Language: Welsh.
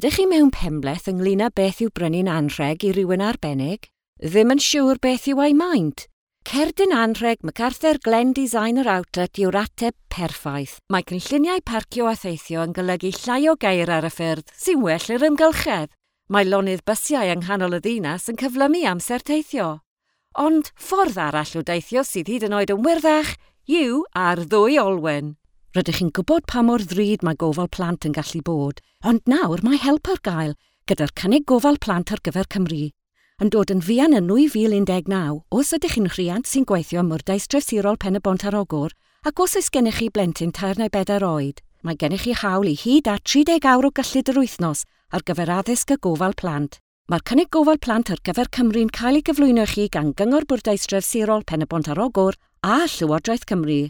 Ydych chi mewn penbleth ynglyn â beth yw brynu'n anrheg i rywun arbennig? Ddim yn siŵr beth yw ei maint? Cerdyn anrheg MacArthur Glen Designer Outlet yw'r ateb perffaith. Mae cynlluniau parcio a theithio yn golygu llai o geir ar y ffyrdd sy'n well i'r ymgylchedd. Mae lonydd bysiau yng nghanol y ddinas yn cyflymu amser teithio. Ond ffordd arall o deithio sydd hyd yn oed yn wyrddach yw ar ddwy olwyn. Rydych chi'n gwybod pa mor ddrud mae gofal plant yn gallu bod, ond nawr mae help ar gael gyda'r cynnig gofal plant ar gyfer Cymru. Yn dod yn fuan yn 2019, os ydych chi'n rhiant sy'n gweithio ym Mwrdeistref Sirol Pen-y-bont ar Ogwr, ac os oes gennych chi blentyn 3 neu 4 oed, mae gennych chi hawl i hyd at 30 awr o gyllid yr wythnos ar gyfer addysg a gofal plant. Mae'r cynnig gofal plant ar gyfer Cymru'n cael ei gyflwyno i chi gan Gyngor Bwrdeistref Sirol Pen-y-bont ar Ogwr a Llywodraeth Cymru.